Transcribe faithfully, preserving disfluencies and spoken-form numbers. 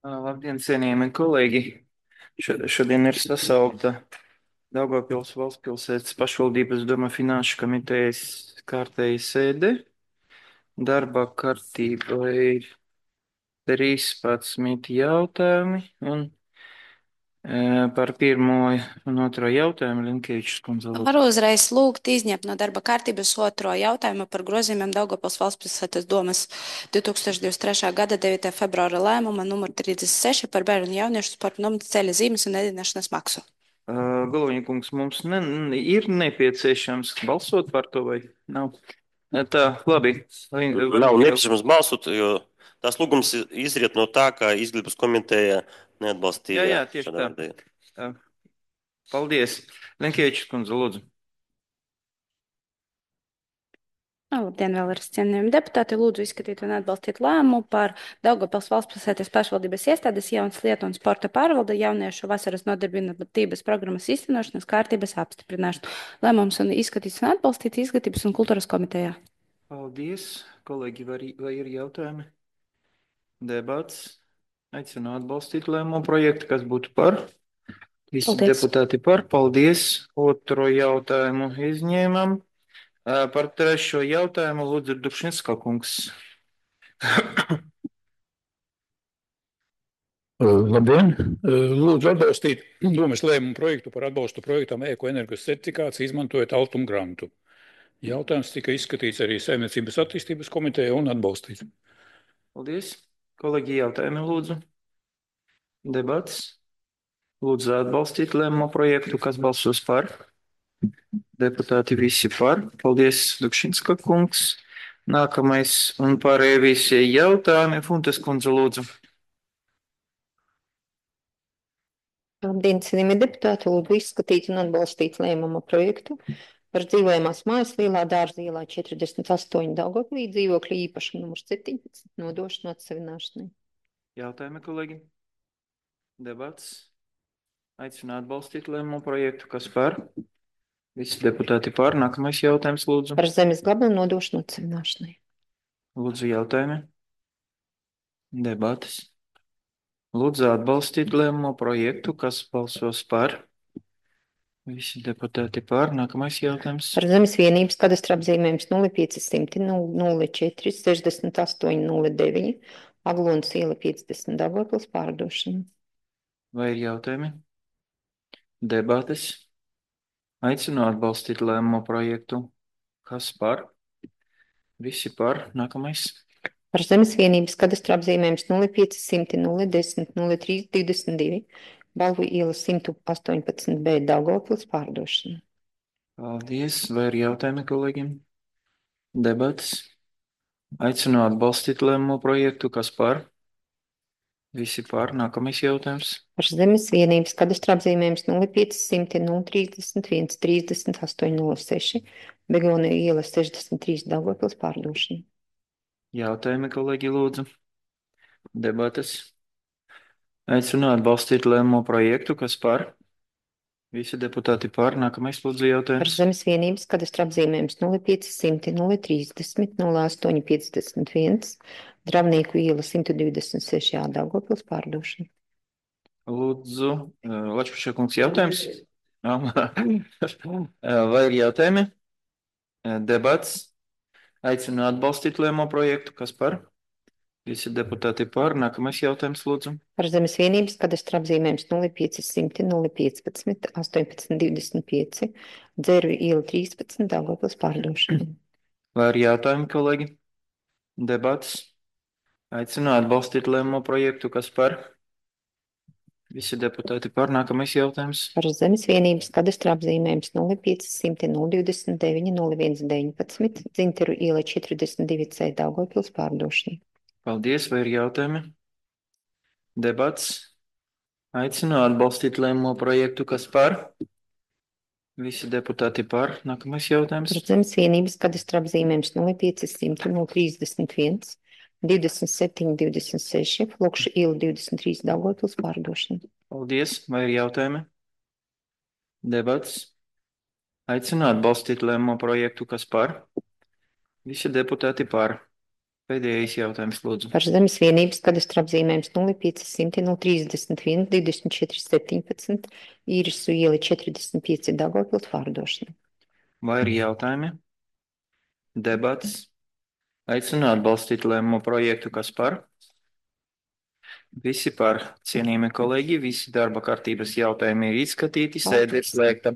Ā, Labdien, cienījamie kolēģi! Šo- Šodien ir sasaukta Daugavpils valstspilsētas pašvaldības doma finanšu komitejas kārtēja sēde. Darba kārtībā ir trīspadsmit jautājumi, un e, par pirmo un otro jautājumu Linkevičs kundze lūdzu. Varu uzreiz lūgt izņemt no darba kārtības otro jautājumu par grozījumiem Daugavpils valstspilsētas domas divē tūkstoši divdesmit trešā gada devītā februāra lēmuma numur trīsdesmit seši par bērnu un jauniešu sporta nometnes ceļa zīmes un ēdināšanas maksu. Galviņa kungs, mums ne, ne- ir nepieciešams balsot par to vai nav? E, Tā, labi. Lin- Nav Lin- nepieciešams balsot, jo tās lūgums izriet no tā, ka izglītības komiteja Jā, neatbalstīja jā, tieši šādā tā. veidā. Tā. Paldies. Linkevičs kundze, lūdzu. Labdien, vēlreiz cienījami deputāti. Lūdzu izskatīt un atbalstīt lēmumu par Daugavpils valstspilsētas pašvaldības iestādes jaunas lietu un sporta pārvalde jauniešu vasaras nodarbinātības programmas īstenošanas kārtības apstiprināšanu. Lēmums un izskatīts un atbalstīts izglītības un kultūras komitejā. Paldies. Kolēģi, vai, vai ir jautājumi? Debats. Aicinu atbalstīt lēmumu projektu, kas būtu par. Visi Paldies. deputāti par. Paldies. Otro jautājumu izņēmam. Ā, Par trešo jautājumu lūdzu Dukšinska kungs. Uh, Labdien! Uh, Lūdzu atbalstīt domas lēmumu projektu par atbalstu projektam Ekoenergas certifikāts, izmantojot Altum grantu. Jautājums tika izskatīts arī Saimniecības attīstības komiteja un atbalstīts. Paldies. Kolēģi, jautājumi lūdzu. Debats. Lūdzu atbalstīt lēmumu projektu, kas balsos par. Deputāti visi par. Paldies, Dukšinska kungs. Nākamais un pārējie visi jautājumi. Funtes kundze, lūdzu. Labdien, cienījamie deputāti, lūdzu izskatīt un atbalstīt lēmuma projektu par dzīvojamās mājas Lielā dārza ielā četrdesmit astoņi Daugavpilī dzīvokļa īpašuma numurs septiņpadsmit nodošana atsevināšanai. Jautājumi, kolēģi? Debats. Aicinu atbalstīt lēmumu projektu, kas par. Visi deputāti par. Nākamais jautājums, lūdzu. Par zemes gabalu nodošanu atsevināšanai. Lūdzu, jautājumi. Debatas. Lūdzu atbalstīt lēmumu projektu, kas balsos par. Visi deputāti par. Nākamais jautājums. Par zemes vienības kadastra apzīmējums nulle pieci simti nulle četri sešdesmit astoņi nulle deviņi Aglonas iela piecdesmit Daugavpils pārdošanu. Vai ir jautājumi? Debates. Aicinu atbalstīt lēmumu projektu, kas par. Visi par. Nākamais. Par zemes vienības kadastra apzīmējums nulle pieci simti nulle desmit nulle trīs divdesmit divi Balvu iela simt astoņpadsmit B Daugavpils pārdošana. Paldies. Vai ir jautājumi kolēģiem? Debats. Aicinu atbalstīt lēmumu projektu, kas par. Visi par. Nākamais jautājums. Par zemes vienības kadastra apzīmējums nulle pieci simti nulle trīsdesmit viens trīsdesmit astoņi nulle seši Begona iela sešdesmit trīs Daugavpils pārdošana. Jautājumi, kolēģi, lūdzu. Debates. Aicinu atbalstīt lēmumu projektu, kas par. Visi deputāti par. Nākamais, lūdzu, Par jautājums. zemes vienības kadastra apzīmējums nulle pieci simti nulle trīsdesmit nulle astoņi piecdesmit viens Dravnieku iela simt divdesmit seši A Daugavpils pārdošana. Lūdzu, Lačpuša kungs, jautājums. Vai ir jautājumi? Debats. Aicinu atbalstīt lēmumu projektu, kas par. Visi deputāti par. Nākamais jautājums, lūdzu. Par zemes vienības kadastra apzīmējums nulle pieci simti nulle piecpadsmit astoņpadsmit divdesmit pieci Dzērvju iela trīspadsmit Daugavpils pārdošana. Vai ir jautājumi, kolēģi? Debats. Aicinu atbalstīt lēmumu projektu, kas par. Visi deputāti par. Nākamais jautājums. Par zemes vienības kadastra apzīmējums nulle pieci simti nulle divdesmit deviņi nulle viens deviņpadsmit Dzinteru iela četrdesmit divi C Daugavpils pārdošana. Paldies, vai ir jautājumi? Debats. Aicinu atbalstīt lēmumu projektu, kas par. Visi deputāti par. Nākamais jautājums. Par zemes vienības kadastra apzīmējums nulle pieci simti nulle trīsdesmit viens divdesmit septiņi divdesmit seši Flokša iela divdesmit trīs Daugavpils pārdošana. Paldies, vai ir jautājumi? Debats. Aicinu atbalstīt lēmumu projektu, kas par. Visi deputāti par. Pēdējais jautājums, lūdzu. Par zemes vienības kadastra apzīmējums nulle pieci simti nulle trīsdesmit viens divdesmit četri septiņpadsmit Īrisu iela četrdesmit pieci Daugavpils pārdošana. Vai ir jautājumi? Debats. Aicinu atbalstīt lēmumu projektu, kas par? Visi par. Cienījamie kolēģi, visi darba kārtības jautājumi ir izskatīti, sēde ir slēgta.